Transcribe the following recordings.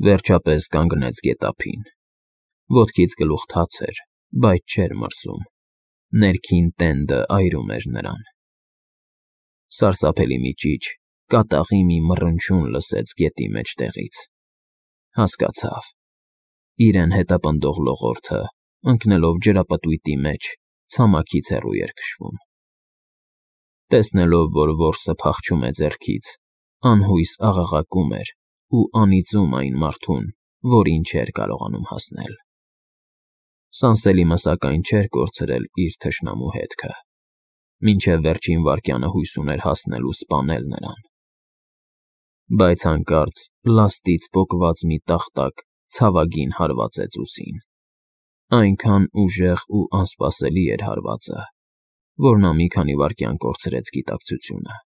Վերջապես կանգնեց գետափին։ Ոտքից գլուխ թաց էր, բայց չէր մրսում, ներքին տենդը այրում էր նրան։ Սարսափելի մի ճիչ, կատաղի մի մռնչյուն լսեց գետի մեջտեղից։ Հասկացավ. իրեն հետապնդող լողորդը, ընկնելով ջրապտույտի մեջ, ցամաքից հեռու էր քշվում։ Տեսնելով, որ որսը փախչում է ձեռքից, անհույս աղաղակում էր ու անիծում այն մարդուն, որին չէր կարողանում հասնել։ Սանսելիմը սակայն չէր կորցրել իր թշնամու հետքը, մինչև վերջին վայրկյանը հույս ուներ հասնել ու սպանել նրան։ Բայց հանկարծ լաստից պոկված մի տախտակ ցավագին հարվածեց ուսին։ Այնքան ուժեղ ու անսպասելի էր հարվածը, որ նա մի քանի վայրկյան կորցրեց գիտակցությունը,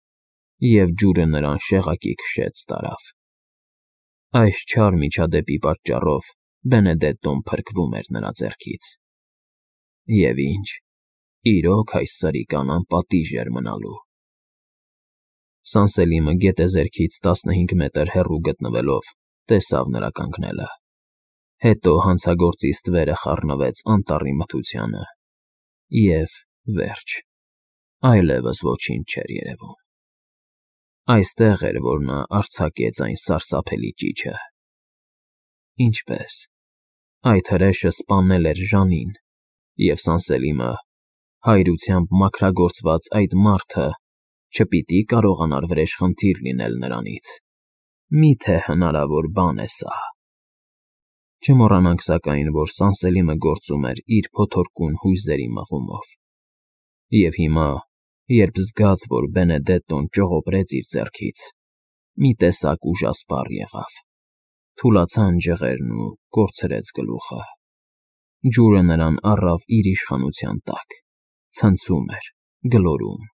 և ջուրը նրան շեղակի քշեց տարավ։ Այս չար միջադեպի պատճառով Բենեդետտոն փրկվում էր նրա ձեռքից։ Եվ ինչ, իրոք այս սրիկան անպատիժ էր մնալու։ Սանսելիմը գետեզերքից 15 մետր հեռու գտնվելով տեսավ նրա կանգնելը։ Հետո հանցագործի ստվերը խառնվեց անտառի մթությանը, և վերջ, այլևս ոչինչ չէր երևում։ Այստեղ էր, որ նա արձակեց այն սարսափելի ճիչը։ Ինչպե՞ս։ Այդ հրեշը սպանել էր Ժանին, և Սանսելիմը, հայրությամբ մաքրագործված այդ մարդը, չպիտի կարողանար վրեժխնդիր լինել նրանից։ Մի՞թե հնարավոր բան է սա։ Չմոռանանք սակայն, որ Սանսելիմը գործում էր իր փոթորկուն հույզերի մղումով։ Եվ հիմա, երբ զգաց, որ Բենեդետտոն ճողոպրեց իր ձեռքից, մի տեսակ ուժասպառ եղավ։ Թուլացան ջղերն ու կորցրեց գլուխը։ Ջուրը նրան առավ իր իշխանության տակ, ցնցում էր, գլորում,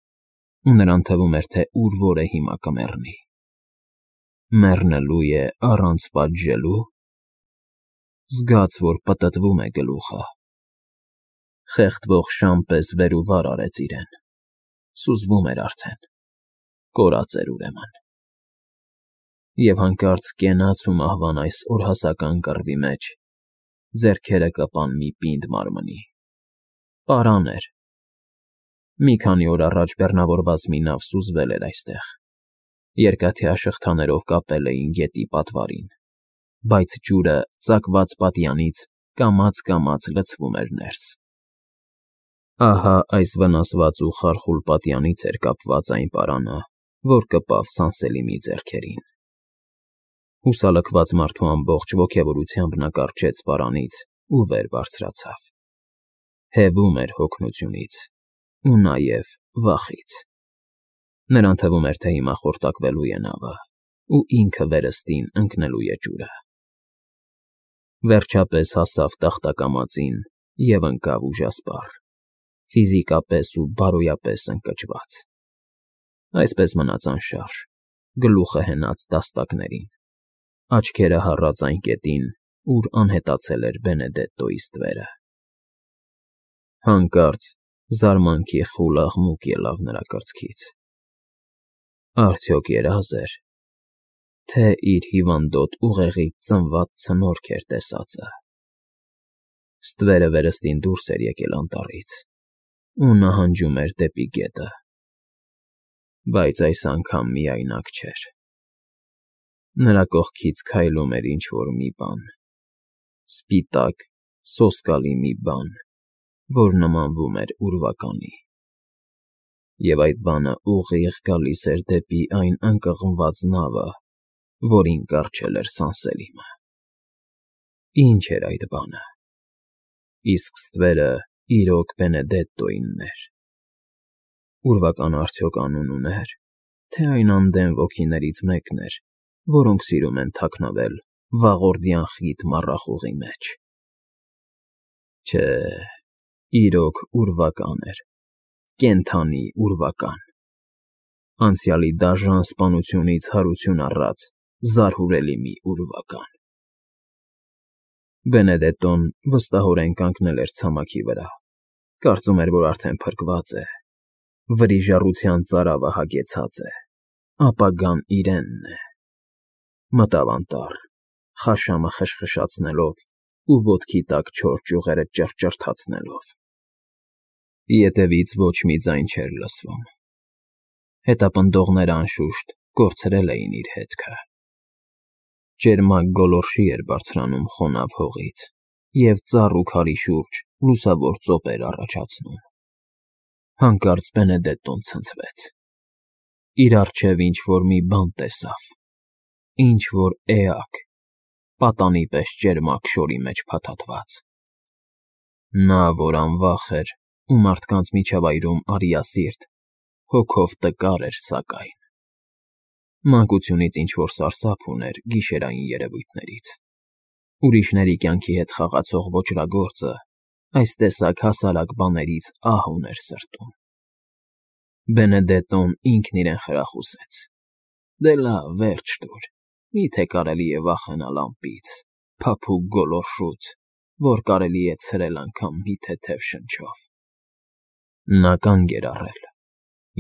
ու նրան թվում էր, թե ուր֊որ է հիմա կմեռնի։ Մեռնելու է առանց պատժելու։ Զգաց, որ պտտվում է գլուխը։ Խեղդվող շան պես վեր ու վար արեց իրեն։ Սուզվում էր արդեն, կորած էր ուրեմն։ Եվ հանկարծ կենաց ու մահվան այս օրհասական կռվի մեջ ձեռքերը կպան մի պինդ մարմնի։ Պարան էր։ Մի քանի օր առաջ բեռնավորված մի նավ սուզվել էր այստեղ։ Երկաթյա շղթաներով կապել էին գետի պատվարին, բայց ջուրը ծակված պատյանից կամաց լցվում էր ներս։ Ահա այս վնասված ու խարխուլ պատյանից էր կապված այն պարանը, որ կպավ Սանսելիմի ձեռքերին։ Հուսալքված մարդու ամբողջ ոգևորությամբ նա կառչեց պարանից ու վեր բարձրացավ։ Հևում էր հոգնությունից ու նաև վախից։ Նրան թվում էր, թե հիմա խորտակվելու է նավը, ու ինքը վերստին ընկնելու է ջուրը։ Վերջապես հասավ տախտակամածին և ընկավ ուժասպառ, ֆիզիկապես ու բարոյապես ընկճված։ Այսպես մնաց անշարժ, գլուխը հենած տաստակներին, աչքերը հառած այն կետին, ուր անհետացել էր Բենեդետտոյի ստվերը։ Հանկարծ զարմանքի խուլ աղմուկ ելավ նրա կրծքից։ Արդյոք երազ էր, թե իր հիվանդոտ ուղեղից ծնված ցնորք էր տեսածը։ Ստվերը վերստին դուրս էր եկել անտառից ու նահանջում էր դեպի գետը։ Բայց այս անգամ միայնակ չէր։ Նրա կողքից քայլում էր ինչ֊որ մի բան, սպիտակ, սոսկալի մի բան, որ նմանվում էր ուրվականի։ Եվ այդ բանը ուղիղ գալիս էր դեպի այն ընկղմված նավը, որին կառչել էր Սանսելիմը։ Ինչ էր այդ բանը։ Իսկ ստվերը իրոք Բենեդետտոյինն էր։ Ուրվականը արդյոք անուն ուներ, թե այն անդեն ոգիներից մեկն էր, որոնք սիրում են թաքնվել վաղորդյան խիտ մառախուղի մեջ։ Չէ, իրոք ուրվական էր, կենդանի ուրվական։ Անցյալի դաժան սպանությունից հարություն առած զարհուրելի մի ուրվական։ Բենեդետտոն վստահորեն կանգնել էր ցամաքի վրա, կարծում էր, որ արդեն փրկված է, վրիժառության ծարավը հագեցած է, ապագան իրենն է։ Մտավ անտառ, խաշամը խշխշացնելով ու ոտքի տակ չոր ճյուղերը ճռճռթացնելով։ Ետևից ոչ մի ձայն չէր լսվում։ Հետապնդողները անշուշտ կորցրել էին իր հետքը։ Ճերմակ գոլորշի էր բարձրանում խոնավ հողից և ծառ ու քարի շուրջ լուսավոր ծոպեր առաջացնում։ Հանկարծ Բենեդետտոն ցնցվեց։ Իր առջև ինչ-որ մի բան տեսավ, ինչ-որ էակ, պատանի պես ճերմակ շորի մեջ փաթաթված։ Նա, որ անվախ էր ու մարդկանց միջավայրում արիասիրտ, հոգով տկար էր սակայն։ Մանկությունից ինչ-որ սարսափ ուներ գիշերային երևույթներից։ Ուրիշների կյանքի հետ խաղացող ոճրագործը այս տեսակ հասարակ բաներից ահ ուներ սրտում։ Բենեդետտոն ինքն իրեն խրախուսեց. «Դե լավ, վերջ տուր, մի՞թե կարելի է վախենալ ամպից, փափուկ գոլորշուց, որ կարելի է ցրել անգամ մի թեթև շնչով»։ Նա կանգ էր առել,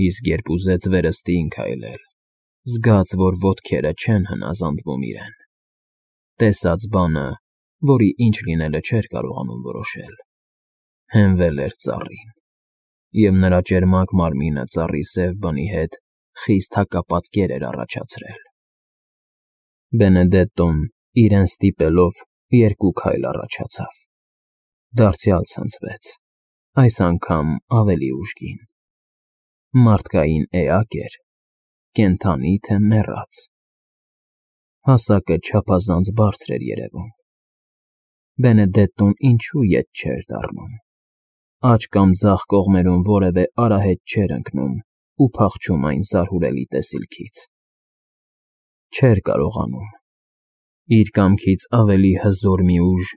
իսկ երբ ուզեց վերստին քայլել, զգաց, որ ոտքերը չեն հնազանդվում իրեն։ Տեսած բանը, որի ինչ լինելը չէր կարողանում որոշել, հենվել էր ծառին, և նրա ճերմակ մարմինը ծառի սև բնի հետ խիստ հակապատկեր էր առաջացրել։ Բենեդետտոն, իրեն ստիպելով, երկու քայլ առաջացավ, դարձյալ ցնցվեց, այս անգամ ավելի ուժգին։ Մարդկային էակ էր, կենդանի թե մեռած։ Հասակը չափազանց բարձր էր երևում։ Բենեդետտոն ինչու ետ չէր դառնում։ Աջ կամ ձախ կողմերում որևէ արահետ չէր ընկնում ու փախչում այն զարհուրելի տեսիլքից։ Չէր կարողանում։ Իր կամքից ավելի հզոր մի ուժ,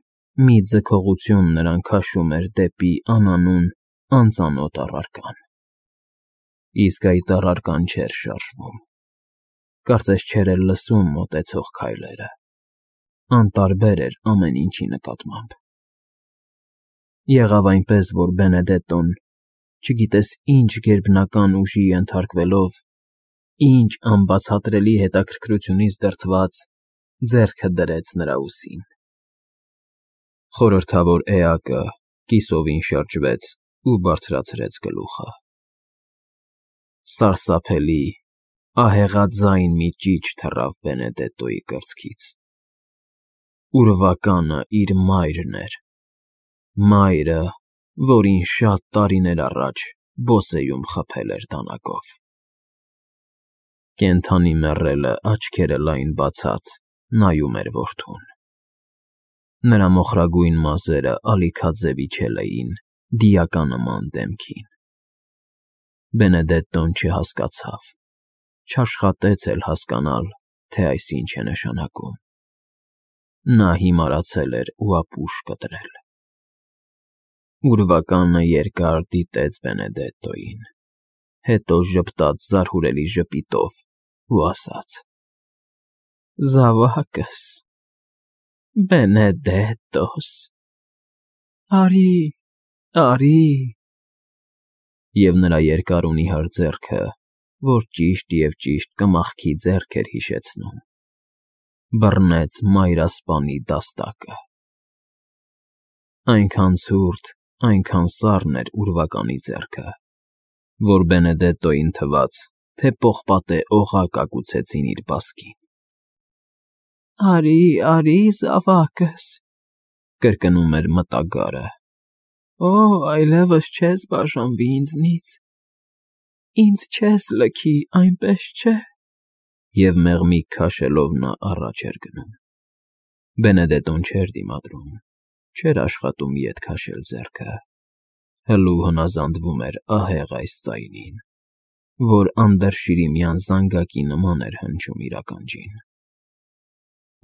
մի ձգողություն նրան քաշում էր դեպի անանուն, անծանոթ առարկան։ Իսկ այդ առարկան չէր շարժվում։ Կարծես չէր էլ լսում մոտեցող քայլերը։ Անտարբեր էր ամեն ինչի նկատմամբ։ Եղավ այնպես, որ Բենեդետտոն, չգիտես ինչ գերբնական ուժի ենթարկվելով, ինչ անբացատրելի հետաքրքրությունից դրդված, ձեռքը դրեց նրա ուսին։ Խորհրդավոր էակը կիսովին շրջվեց ու բարձրացրեց գլուխը։ Սարսափելի, ահեղաձայն մի ճիչ թռավ Բենեդետտոյի կրծքից։ Ուրվականը իր մայրն էր, մայրը, որին շատ տարիներ առաջ բոսեում խփել էր դանակով։ Կենդանի մեռելը աչքերը լայն բացած նայում էր որդուն։ Նրա մոխրագույն մազերը ալիքաձև իջել էին դիականման դեմքին։ Բենեդետտոն չհասկացավ, չաշխատեց էլ հասկանալ, թե այս ինչ է նշանակում։ Նա հիմարացել էր ու ապուշ կտրել։ Ուրվականը երկար դիտեց Բենեդետտոյին, հետո ժպտաց զարհուրելի ժպիտով ու ասաց. «Զավակս, Բենեդետտոս, արի, արի»։ Եվ նրա երկար ու նիհար ձեռքը, որ ճիշտ և ճիշտ կմախքի ձեռք էր հիշեցնում, բռնեց մայրասպանի դաստակը։ Այնքան ցուրտ, այնքան սառն էր ուրվականի ձեռքը, որ Բենեդետտոյին թվաց, թե պողպատե օղակ ագուցեցին իր բասկին։ «Արի, արի, զավակս», կրկնում էր մտագարը։ «Օ, այլևս չես բաժանվի ինձնից, ինձ չես լքի, այնպես չէ»։ Եվ մեղմիկ քաշելով նա առաջ էր գնում։ Բենեդետտոն չէր դիմադրում, չէր աշխատում ետ քաշել ձեռքը, հլու հնազանդվում էր ահեղ այս ձայնին, որ անդրշիրիմյան զանգակի նման էր հնչում իր ականջին։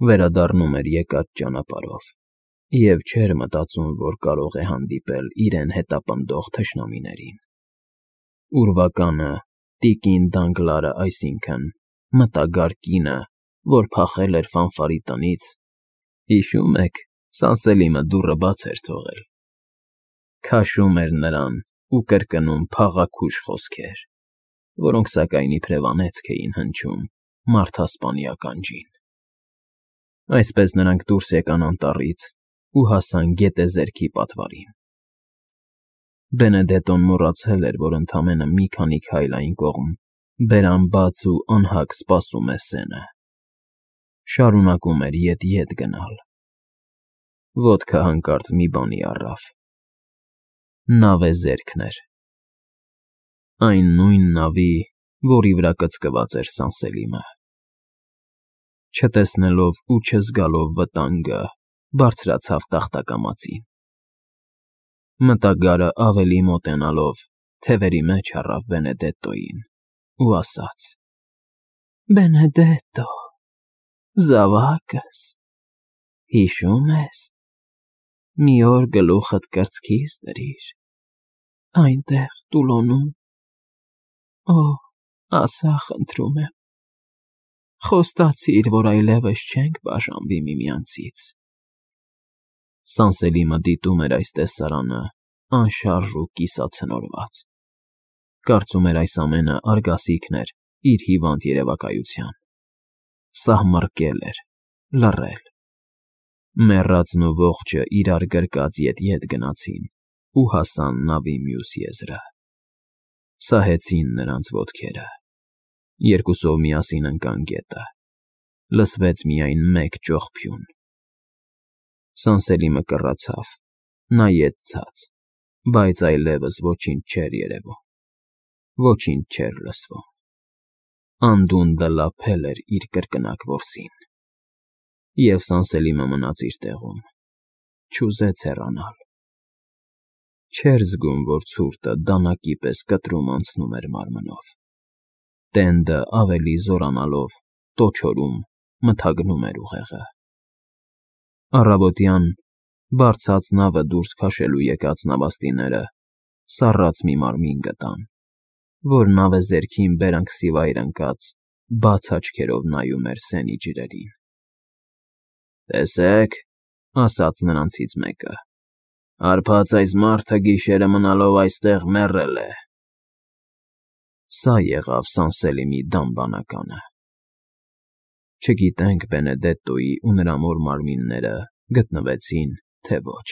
Վերադառնում էր եկած ճանապարհով և չէր մտածում, որ կարող է հանդիպել իրեն հետապնդող թշնամիներին։ Ուրվականը, տիկին Դանգլարը, այսինքն՝ մտագար կինը, որ փախել էր Ֆանֆարի տնից, հիշո՞ւմ եք, Սանսելիմը դուռը բաց էր թողել, քաշում էր նրան ու կրկնում փաղաքուշ խոսքեր, որոնք սակայն իբրև անեծք էին հնչում մարդասպանի ականջին։ Այսպես նրանք դուրս եկան անտառից ու հասան գետեզերքի պատվարին։ Բենեդետոն մոռացել էր, որ ընդամենը մի քանի քայլ այն կողմ բերան բաց ու անհագ սպասում է սենը։ Շարունակում էր ետ գնալ։ Ոտքը հանկարծ մի բանի առավ։ Նավեզերքն էր։ Այն նույն նավի, որի վրա կցկված էր Սանսելիմը։ Չտեսնելով ու չզգալով վտանգը, բարձրացավ տախտակամածին։ Մտագարը ավելի մոտենալով թևերի մեջ առավ Բենեդետտոյին ու ասաց. «Բենեդետտո, զավակս, հիշո՞ւմ ես, մի օր գլուխդ կրծքիս դրիր, այնտեղ տուլոնում, ասա խնդրում եմ, խոստացիր, որ այլևս չենք բաժանվի միմյանցից»։ Սանսելիմը դիտում էր այս տեսարանը անշարժ ու կիսացնորված։ Կարծում էր այս ամենը արգասիքն էր իր հիվանդ երևակայության։ Սահմռկել էր, լռել։ Մեռածն ու ողջը իրար գրկած ետ գնացին ու հասան նավի մյուս եզրը։ Սահեցին նրանց ոտքերը։ Երկուսով միասին ընկան գետը։ Լսվեց միայն մեկ ճողփյուն։ Սանսելիմը կռացավ, նայեց ցած, բայց այլևս ոչինչ չէր երևում, ոչինչ չէր լսվում։ Անդունդը լափել էր իր կրկնակ որսին։ Եվ Սանսելիմը մնաց իր տեղում, չուզեց հեռանալ։ Չէր զգում, որ ցուրտը դանակի պես կտրում անցնում էր մարմնով։ Տենդը ավելի զորանալով, տոչորում, մթագնում էր ուղեղը։ Առավոտյան բարձած նավը դուրս քաշելու եկած նավաստիները սառած մի մարմին գտան, որ նավեզերքին բերանքսիվայր ընկած բաց աչքերով նայում էր սենի ջրերին։ «Տեսեք,֊ ասաց նրանցից մեկը,֊ հարբած այս մարդը գիշերը մնալով այստեղ մեռել է»։ Սա եղավ Սանսելիմի դամբանականը։ Չգիտենք Բենեդետտոյի ու նրա մոր մարմինները գտնվեցին, թե ոչ։